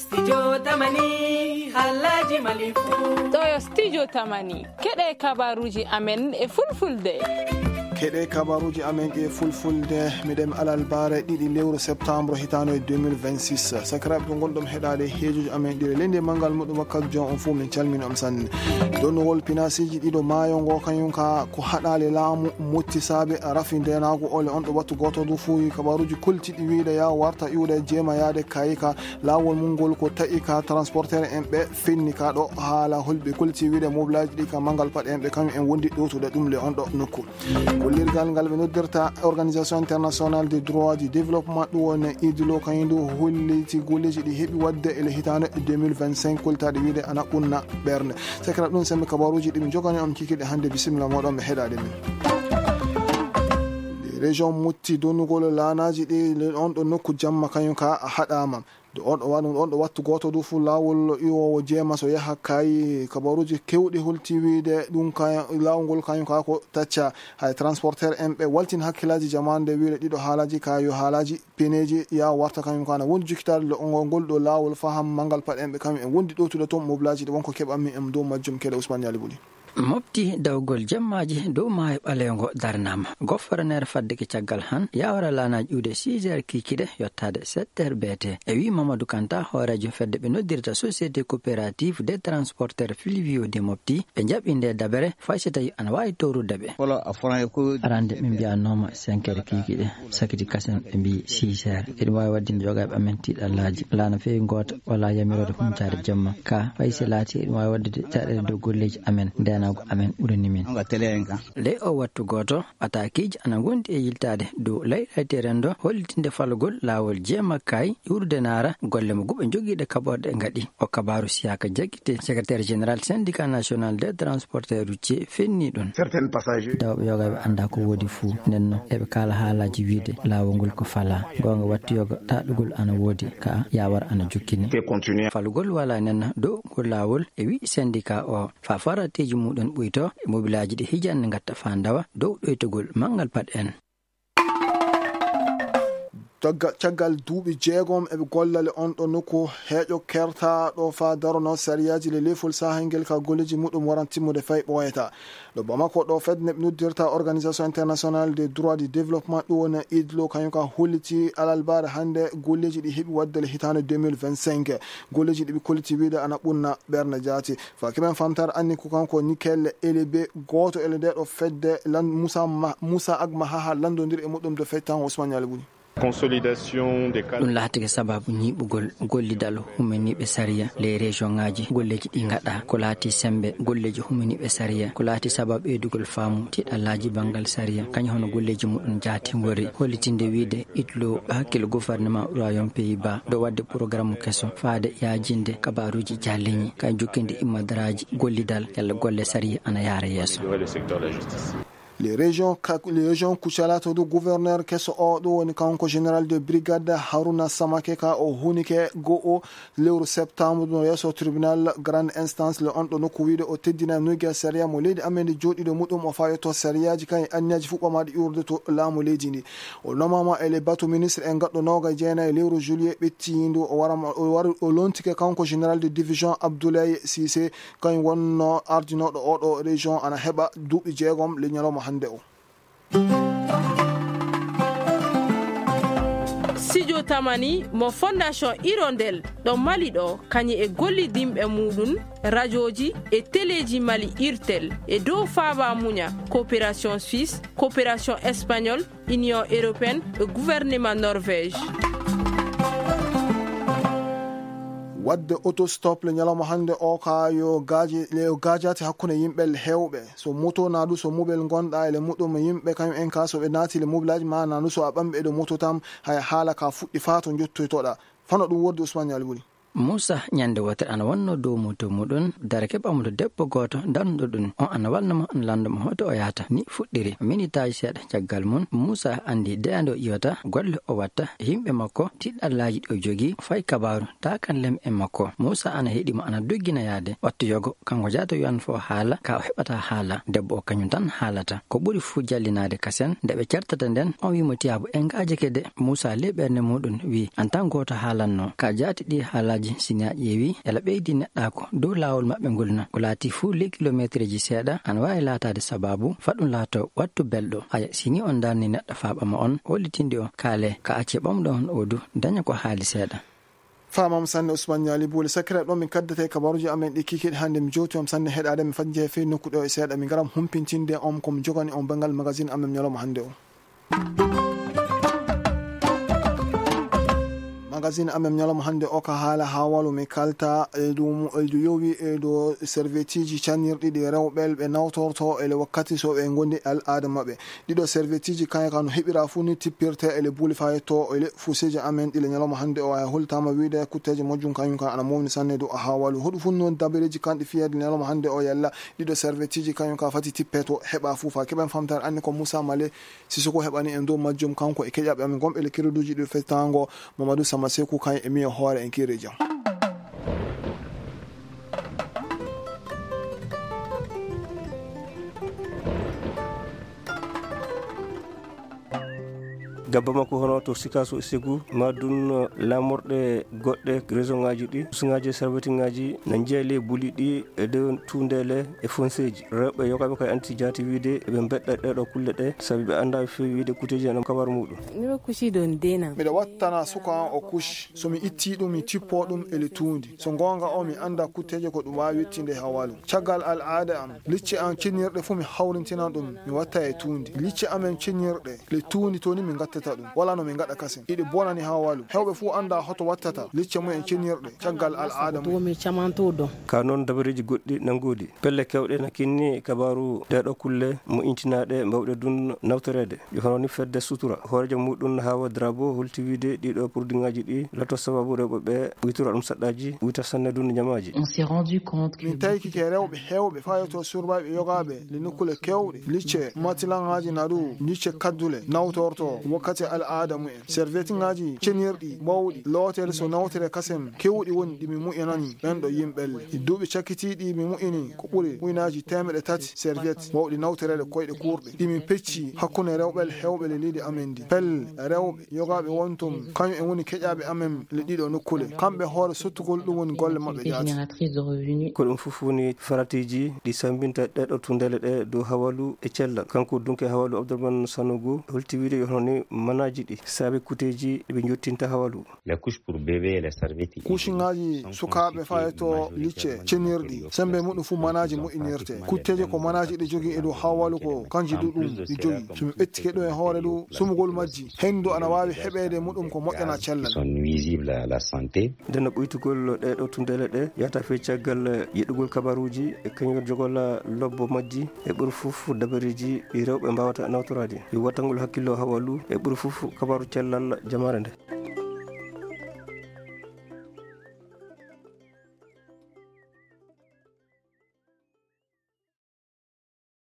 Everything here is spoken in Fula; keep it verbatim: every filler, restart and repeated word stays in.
Studio Tamani, halaji Mali fu. Ɗo yo Studio Tamani. Keɗe kabaruji amen e fulfulde. Keɗe kabaruji amen e fulfulde. Miɗen alarba ɗiɗi lewru septembre hitaande deux mille vingt-six. Sakiraaɓe, to ngonɗon heɗaade heejoji amen ɗiɗi leydi e manngal muɗum wakkati jon on fof, min calmini on sanne. Donnugol pinasiji ɗiɗo maayo ngo kañum ka ko haɗaale laamu motti saabe rafi ndenaagu ole on ɗo wattu gooto du fuuyi kabaruji koltiɗi wiide ya warta iwde jeema yaade kayika laawol mum ngol ko taƴi ka transporteur en ɓe fenni ka ɗo haala holɓe kolti wiide mobilaji ɗi ka manngal paɗe en ɓe kañum en wondi ɗowtude ɗum le on ɗo nokku. Kullirgal ngal ɓe noddirta Organisation Internationale des Droits du Développement, ɗum woni idlo kañum ndu holliti golleji ɗi heɓi waɗde ele hitaande deux mille vingt-cinq, koltaade wiide ana ɓunna ɓernde. Sekra ɗum sembe kabaruji ɗi min jogani on kikiɗe hannde. Bisimilla moɗon ɓe heɗaade min. Région mutti donnugol laanaji ɗi on ɗo nokku jamma kañum ka a haɗama. Ɗo on ɗo wa-, ɗum on ɗo wattu gooto du fu laawol iwoowo jeema so yaha kay kabaruji kewɗi holti wiide ɗum ka laawol ngol kañum ka ko tacca. Hay transporteur en ɓe waltin hakkillaaji jamaande wiide ɗiɗo haalaji ka yo haalaji peneji ya warta kañum ka na wondi jukkitaade lo ngol ngol ɗo laawol faham manngal paɗe en ɓe kañum en wondi ɗowtude toon mobilaji ɗi wonko keɓanmi en dow majjum keɗe Ousmane Yali Buli. Mofti dawgol jemmaaji dow maayo ɓaleewo ngo darnaama. Goforneer fadde ki caggal han yawara laanaaji iwde six heures kiikiɗe yottaade sept heures B T. E wii Mamadou Kanta, hooreejo fedde ɓe noddirta Société Coopérative des Transporteurs Fluviaux de Mopti, ɓe njaɓi nde dabere fay so tawi ana waawi towrude ɓe. Arande min mbiyannooma cinq heures kiikiɗe, sakiti kasen ɓe mbii six heures. Eɗum waawi waɗde nde jogaaɓe amen tiiɗallaaji. Laana feewi ngoota wala yamiroode humtaade jemma. Ka fay si laati eɗum waawi waɗde caɗeele dow golleeji amen, ndeenaagu amen ɓurani min. Ley o wattu gooto, ataakiiji ana ngondi e yiltaade dow leyɗeele rendo hollitinde falgol laawol jeema kay iwrude naara golle mo guɓe jogiiɗe kaɓorɗe ngaɗi. O kabaaru siyaaka jaggite, secrétaire général syndicat national des transporteurs routiers fenni ɗum. Dawɓe yogaaɓe annda ko woodi fuu, nden no eɓe kaala haalaaji wiide laawol ngol ko falaa. Goonga wattu yoga taɗugol ana woodi, ka yawar ana jokkini. Falugol wala nen dow ngol laawol e wi syndicat o. Fa farateeji muɗum ɓuyto e mobilaaji ɗi hijanne ngatta fa ndawa dow ɗoytugol manngal paɗ en. Cagga-, caggal duuɓi jeegom eɓe gollale on ɗo nokku heeƴo kertaaɗo fa darono sariyaaji le lefol sahayngel ka golleji muɗum waran timmude fay ɓooyata. Ɗo Bamako ɗo fedde ɓe noddirta Organisation Internationale des Droits du Développement, ɗum woni idlo, kañum ka holliti alalbaare hannde golleji ɗi heɓi waɗde le hitaande deux mille vingt-cinq. Golleji ɗi ɓe kolliti wiide ana ɓunna ɓernde jaati. Fakimen Fantar anni ko kanko Nikel Elebe, gooto ele nde ɗo fedde lan-, Moussa Ma-, Moussa Agma Haha lanndondiri e muɗum de fettan Ousmane Yali Buni. Consolidation des cadres. Ɗum laatike sababu ñiiɓugol gollidal huminiiɓe sariya ley région ŋaaji golleeji ɗi ngaɗa. Ko laati sembe golleeji huminiiɓe sariya, ko laati sababu ɓeydugol faamu tiiɗallaaji banngal sariya, kañum hono golleeji muɗum jaati ngori hollitinde wiide itlo hakkil gouvernement royaume Pays-Bas ɗo waɗde programme keso faade yaajinde kabaruuji jalliñi, kay jokkinde immadaraaji gollidal yalla golle sariya ana yaara yeeso. Les régions Ka-, les régions Kucala to du gouverneur keso o, ɗum woni kanko général de brigade Haruna Samake ka o hunike go'o lewru septembre ɗum yeeso tribunal grande instance le on ɗo nokku wiide o teddina nuyga sariya mo leydi amen ndi jooɗiɗo muɗum o fayoto sariyaaji kan e anniyaji fuɓɓamaɗi iwrude to laamu leydi ndi. O nomama e le bateau ministre e gaɗɗo noga e jeenayi lewru juillet ɓettiyindu o warama, o wari, o lontike kanko général de division Abdoulaye Cissé, kañum wonno ardinooɗo oɗo région ana heɓa duuɓi jeegom le ñalawma hannde o. Studio Tamani mo Fondation Hirondelle ɗo Mali ɗo, kañum e gollidinɓe muɗum, rajoji e teleji Mali Irtel e dow faaba muña, coopération suisse, coopération espagnole, Union européenne e gouvernement Norvège. Waɗde autostop le ñalawma hannde o ka yo gaaji, yo gaajaate hakkunde yimɓe heewɓe. So moto naa du so mobel ngonɗa e le muɗum yimɓe kañum en ka so ɓe naati le mobilaaji ma naa du so a ɓamɓe e ɗo moto tam, hay haala ka fuɗɗi faa to njottoytoɗa. Fano ɗum wordi Ousmane Yali Wuli. Muusa ñande wootere ana wonno dow moto muɗum, darake ɓamuɗo debbo gooto darnuɗo ɗum. On ana walna mo, ana lanndo mo hoto o yahata. Ni fuɗɗiri. Minitaaji seeɗa caggal mum, Muusa anndi deya nde o iwata, golle o watta, e yimɓe makko, tiɗɗallaaji ɗi o jogii, fay kabaaru, taakan lem e makko. Muusa ana heɗi mo, ana doggina yaade. Wattu yogo, kanko jaata wiyan fo haala, ka o heɓata haala. Debbo o kañum tan haalata. Ko ɓuri fuu jallinaade kasen, nde ɓe cartata nden, on wii mo tiyaabu en ngaajake de. Muusa ley ɓernde muɗum wii, an tan gooto haalanno. Ka jaati ɗi haalaaji Si ni a ƴeewi, ela ɓeydi neɗɗaako dow laawol maɓɓe ngol na, ko laati fuu ley kilomeetereeji seeɗa, ana waawi laataade sabaabu faa ɗum laatoo wattu belɗo. Haya, si ni on ndarni neɗɗo faa ɓama on, hollitinde on, kaale ka acce ɓamɗo on oo du, daña ko haali seeɗa. Faamaama sanne Usman Ñaali Buuli. Sakkira ɗo min kaddata e kabaruuji amen ɗi kikiiɗe hannde. Mi jowti on sanne heɗaade, mi fajjee fey nokku ɗo e seeɗa, mi ngara humpintinde on ko mi jogani on banngal magazine amen ñalawma hannde o. Magazine amen ñalawma hannde o ka haala haa walu mi kalta e ɗum, e ɗum yowi e ɗo serveteeji cannirɗi ɗi rewɓe ɓe nawtorto e le wakkati so ɓe ngondi al'aada maɓɓe. Ɗiɗo serveteeji kañum ka no heɓira fuu ni tippirte e le buuli faa yetto e le fuseeji amen ɗi le ñalawma hannde o. Ay holtaama wiide kutteeje mojjum kañum ka ana mawni sanne dow a haa walu. Hoɗu fuu noon dabareeji kanɗi fiyeede ñalawma hannde o yalla ɗiɗo serveteeji kañum ka fati tippe to heɓa fuu faa keɓen famtaare anni ko Moussa Male Sissoko heɓani en dow majjum, kanko e keƴaɓe amen gonɓe le kereduuji ɗi fetaango, Mamadou Sama Seku, kañum e miyo hoore en kiire jam. Gabba makko hono to Sikaso e Segu, ma dun laamorɗe goɗɗe, région ŋaaji ɗi, usŋaaji e sarwetiŋaaji na njeya ley buli ɗi e dow tuundeele e fonseeji. Rewɓe yogaaɓe kay anti jaati wiide eɓe mbeɗɗa ɗee ɗoo kulle ɗee, sabi ɓe anndaa ɓe feewi wiide kuteeji ana kabar muuɗum. Miɗo kuci ɗon deenam. Miɗo wattana suka an o kuci. So mi ittii ɗum, mi tippoo ɗum e le tuundi. So goonga o, mi anndaa kutteeje ko ɗum waawi yettinde e hawaalu. Caggal al'aada am, licce am cennirɗe fuu mi hawrintinan ɗum, mi watta e tuundi. Licce amen cennirɗe, le tuundi to ni min ngattata ɗum. Walaa no min ngaɗa kasen. Iɗi bonani hawaalu. Heewɓe fuu anndaa hoto wattata licce mum en cennirɗe caggal al'aada mum. Ka noon dabareeji goɗɗi na ngoodi. Pelle keewɗe na kinni kabaaru ɗee ɗoo kulle moƴƴintinaaɗe mbaawɗe ɗum nawtoreede. Yo hono ni fedde sutura. Hooreejo muuɗum Hawa Drabo holti wiide ɗii ɗoo produitŋaaji ɗi lato sababu rewɓe ɓe witora ɗum saɗɗaaji, wita sanne ɗum ñamaaji. On s'est rendu compte que Min tawi kike rewɓe heewɓe fayotoo surbaaɓe yogaaɓe le nokkule keewɗe. Licce matilaŋaaji na ɗu, licce kaddule nawtorto wakkati al'aada mumen. Servetiŋaaji cenirɗi mawɗi lootere so nawtere kasen keewɗi woni ɗi mi mu'inani ɓen ɗo yimɓelle. E duuɓi cakkitiiɗi mi mu'ini ko ɓuri mu'inaaji teemeɗɗe tati serviette mawɗi nawtoreeɗe koyɗe kuurɗe. Ɗi min pecci hakkunde rewɓe heewɓe le leydi amen ndi. Pelle rewɓe yogaaɓe wontum, kañum en woni keƴaaɓe amen le ɗiɗo nokkule. Kamɓe hoore sottugol ɗum woni golle maɓɓe jaati. Génératrice de revenus. Ko ɗum fof woni faratiiji ɗi sambinta ɗee ɗoo tunndele ɗe dow hawalu e cellal. Kanko dunke hawalu Abdourahmane Sanogo holti wiide yo hono ni manaaji ɗi saabi kuteeji ɗi ɓe njottinta hawalu. Les couches pour bébé et les serviettes. Kuusiŋaaji sukaaɓe fayto licce cenirɗi, sembe muɗum fuu manaaji moƴƴinirte. Kutteeje ko manaaji ɗi jogii e dow hawalu ko kanji du ɗum ɗi jogii. So mi ɓettike ɗum e hoore ɗum, sumugol majji, henndu ana waawi heɓeede muɗum ko moƴƴana cellal. Sont nuisibles à la santé. Nden no ɓuytugol ɗee ɗoo tunndele ɗe yahata fey caggal yeɗugol kabaruuji e kañum jogol lobbo majji e ɓuri fof dabareeji ɗi rewɓe mbaawata nawtoraade. Yo wattangol hakkillo hawalu e ɓuri fof kabaru cellal jamaare nde.